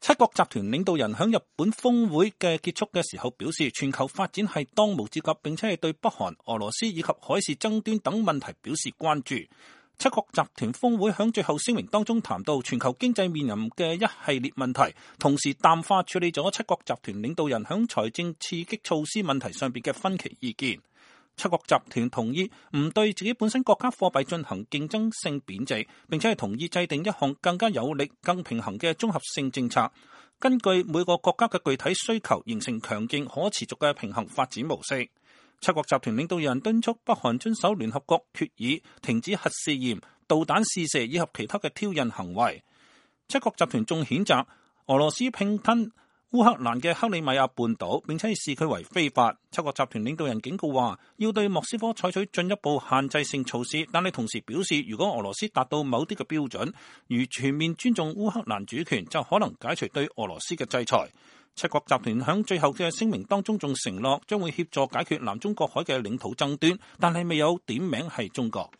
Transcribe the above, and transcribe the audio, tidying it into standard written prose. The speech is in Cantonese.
七國集團領導人喺日本峰會嘅結束嘅時候表示，全球發展係當務之急，並且係對北韓、俄羅斯以及海事爭端等問題表示關注。七國集團峰會喺最後聲明當中談到全球經濟面臨嘅一系列問題，同時淡化處理咗七國集團領導人喺財政刺激措施問題上邊嘅分歧意見。七國集團同意唔對自己本身國家貨幣進行競爭性貶值，並且係同意制定一項更加有力、更平衡嘅綜合性政策，根據每個國家嘅具體需求，形成強勁可持續嘅平衡發展模式。七國集團領導人敦促北韓遵守聯合國決議，停止核試驗、導彈試射以及其他嘅挑釁行為。七國集團仲譴責俄羅斯併吞烏克蘭嘅克里米亞半島，並且視佢為非法。七國集團領導人警告話，要對莫斯科採取進一步限制性措施，但係同時表示，如果俄羅斯達到某啲嘅標準，如全面尊重烏克蘭主權，就可能解除對俄羅斯嘅制裁。七國集團喺最後嘅聲明當中仲承諾將會協助解決南中國海嘅領土爭端，但係未有點名係中國。